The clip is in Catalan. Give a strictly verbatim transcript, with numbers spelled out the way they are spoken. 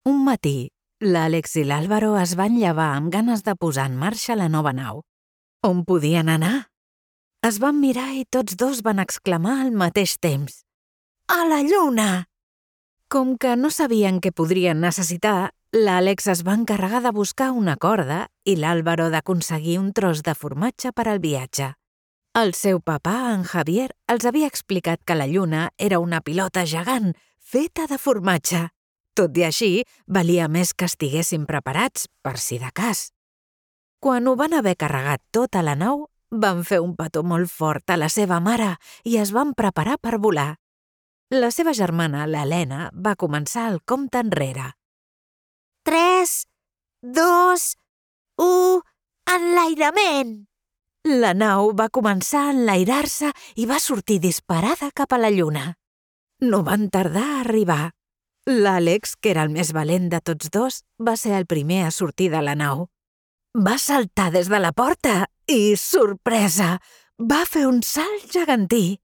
Un matí, l'Àlex i l'Álvaro es van llevar amb ganes de posar en marxa la nova nau. On podien anar? Es van mirar i tots dos van exclamar al mateix temps: «A la lluna!» Com que no sabien què podrien necessitar, l'Àlex es va encarregar de buscar una corda i l'Álvaro d'aconseguir un tros de formatge per al viatge. El seu papà, en Javier, els havia explicat que la lluna era una pilota gegant feta de formatge. Tot i així, valia més que estiguessin preparats, per si de cas. Quan ho van haver carregat tot a la nau, van fer un petó molt fort a la seva mare i es van preparar per volar. La seva germana, l'Helena, va començar el compte enrere. Tres, dos, u, enlairament! La nau va començar a enlairar-se i va sortir disparada cap a la lluna. No van tardar a arribar. L'Àlex, que era el més valent de tots dos, va ser el primer a sortir de la nau. Va saltar des de la porta i, sorpresa, va fer un salt gegantí.